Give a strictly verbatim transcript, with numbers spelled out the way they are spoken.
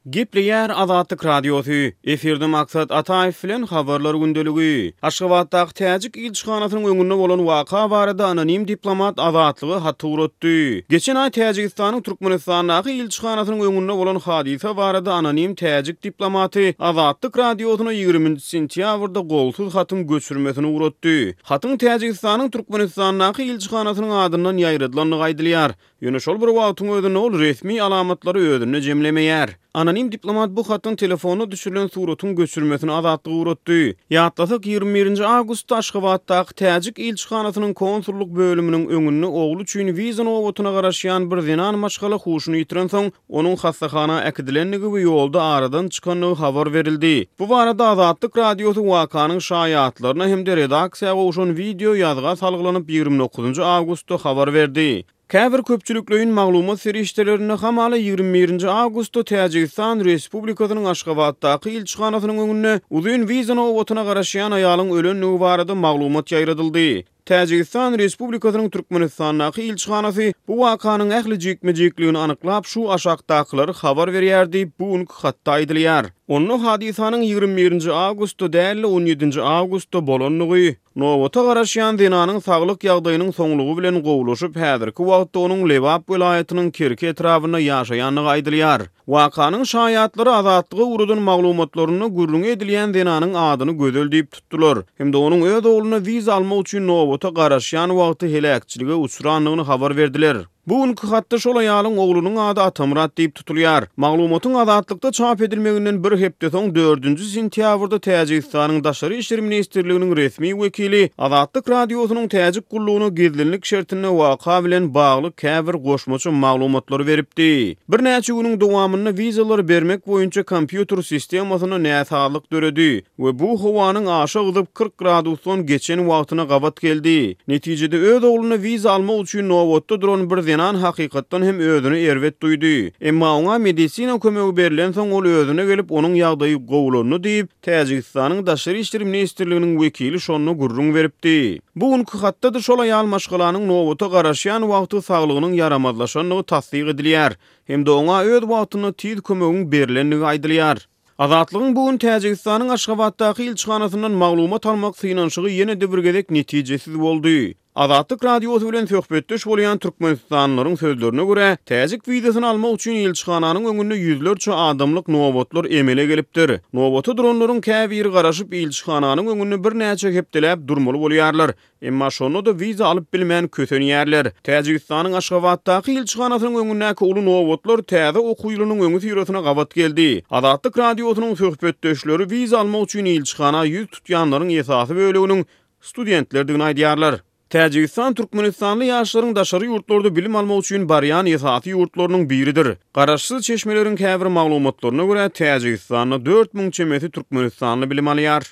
Gepleýär Azatlyk Radiosy, efirde Maksat Ataýew bilen Habarlar gündeligi. Aşgabatdaky täjik ilçihanasynyň öňünde bolan waka barada anonim diplomat Azatlyga hat ugratdy. Geçen aý Täjigistanyň Türkmenistandaky ilçihanasynyň öňünde bolan hadysa barada anonim täjik diplomaty Azatlyk Radiosyna ýigriminji sentýabrda golsuz hatyň göçürmesini ugratdy. Hatyň Täjigistanyň Türkmenistandaky ilçihanasynyň adyndan ýaýradylandygy aýdylýar. Ýöne şol bir wagtyň özünde ol resmi alamatlary özünde jemlemeýär. Anonim diplomat bu hatyň telefonda düşürilen suratyň göçürmesini Azatlyga ugratdy. Ýatlasak, ýigrimi birinji awgustda Aşgabatdaky täjik ilçihanasynyň konsullyk bölüminiň öňünde ogly üçin wiza nobatyna garaşýan bir zenan maşgala huşuny ýitirensoň, onuň hassahana äkidilendigi we ýolda aradan çykandygy habar berildi. Bu barada Azatlyk Radiosy wakanyň şaýatlaryna hem-de redaksiýa gowşan wideo ýazga salgylanyp ýigrimi dokuzynjy awgustda habar berdi. Käbir köpçülikleýin maglumat serişdelerinde hamala ýigrimi birinji awgustda Täjigistan Respublikasynyň Aşgabatdaky ilçihanasynyň öňünde uzyn wiza nobatyna garaşýan aýalyň ölendigi barada maglumat ýaýradyldy. Täjigistan Respublikasynyň Türkmenistandaky ilçihanasy bu wakanyň ähli jikme-jikligini anyklap, şu aşakdakylary habar berýär diýip, bu günki hatda aýdylýar. Onda hadysanyň ýigrimi birinji awgustda däl-de on ýedinji awgustda bolandygy, nobata garaşýan zenanyň saglyk ýagdaýynyň soňlugy bilen gowulaşyp, häzirki wagtda onuň Lebap welaýatynyň Kerki etrabynda ýaşaýandygy aýdylýar. Wakanyň şaýatlary Azatlyga ugradan maglumatlarynda gürrüňi edilýän zenanyň adyny Gözel diýip tutdular hem-de onuň öz ogluna wiza almak üçin nobata garaşýan wagty heläkçilige uçrandygyny habar berdiler. Bu günki hatda şol aýalyň oglunyň ady Atamyrat diýip tutulýar. Maglumatyň Azatlykda çap edilmeginden bir hepde soň dördünji sentýabrda Täjigistanyň Daşary işler ministrliginiň resmi wekili Azatlyk Radiosynyň täjik gullugyna gizlinlik şertinde waka bilen bagly käbir goşmaça maglumatlary beripdi. Birnäçe günüň dowamynda wizalary bermek boýunça kompýuter sistemasyna näsazlyk döredi we bu howanyň aşa gyzyp kyrk gradusdan geçen wagtyna gabat geldi. Netijede öz ogluna wiza almak üçin nobatda duran bir zenan hakykatdan hem özüni erbet duýdy. Emma oňa medisina kömegi berilensoň ol özüne gelip onuň ýagdaýy gowulandy diýip, Täjigistanyň Daşary işler ministrliginiň wekili şonda gürrüň beripdi. Bu günki hatda-da şol aýal maşgalanyň nobata garaşýan wagty saglygynyň ýaramazlaşandygy tassyk edilýär hem-de oňa öz wagtynda tiz kömegiň berilendigi aýdylýar. Azatlygyň bu gün Täjigistanyň Aşgabatdaky ilçihanasyndan maglumat almak synanyşygy ýene-de bir gezek netijesiz boldy. Azatlyk Radiosy bilen söhbetdeş bolýan türkmenistanlylaryň sözlerine görä, täjik wizasyny almak üçin ilçihananyň öňünde ýüzlerçe adamlyk nobatlar emele gelipdir. Nobata duranlaryň käbiri garaşyp ilçihananyň öňünde birnäçe hepdeläp durmaly bolýarlar. Emma şonda-da wiza alyp bilmän kösenýärler. Täjigistanyň Aşgabatdaky ilçihanasynyň öňündäki uly nobatlar täze okuw ýylynyň öňi syrasyna gabat geldi. Azatlyk Radiosynyň söhbetdeşleri wiza almak üçin ilçihana ýüz tutýanlaryň esasy böleginiň studentlerdigini aýdýarlar. Täjigistan türkmenistanly ýaşlaryň daşary ýurtlarda bilim almak üçin barýan esasy ýurtlarynyň biridir. Garaşsyz çeşmeleriň käbir maglumatlaryna görä, Täjigistanda dört müň çemesi türkmenistanly bilim alýar.